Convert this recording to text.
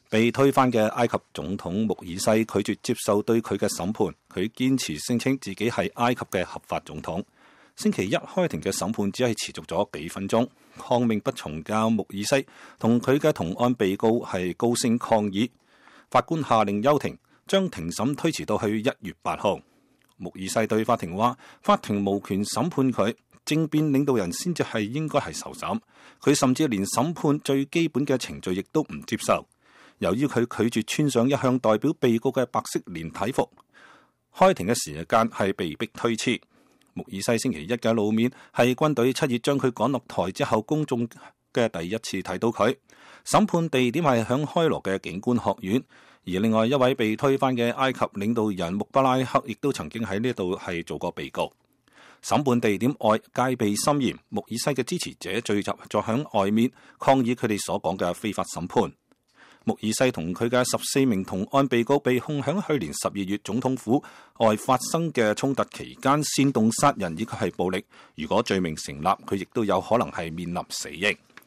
被推翻嘅埃及總統穆爾西拒絕接受對佢嘅審判，佢堅持聲稱自己係埃及嘅合法總統。星期一開庭嘅審判只係持續咗幾分鐘，抗命不從嘅穆爾西同佢嘅同案被告係高聲抗議，法官下令休庭，將庭審推遲到去1月8號。穆爾西對法庭話：法庭無權審判佢，政變領導人先至係應該係受審。佢甚至連審判最基本嘅程序亦都唔接受。由於佢拒絕穿上一向代表被告嘅白色連體服，開庭嘅時間係被迫推遲。穆爾西星期一嘅露面係軍隊7月將佢趕落台之後，公眾嘅第一次睇到佢。審判地點係響開羅嘅警官學院，而另外一位被推翻嘅埃及領導人穆巴拉克亦都曾經喺呢度係做過被告。審判地點外戒備森嚴，穆爾西嘅支持者聚集咗響外面抗議佢哋所講嘅非法審判。穆爾西同佢嘅14名同案被告被控響去年12月總統府外發生嘅衝突期間煽動殺人以及係暴力。如果罪名成立，佢亦都有可能係面臨死刑。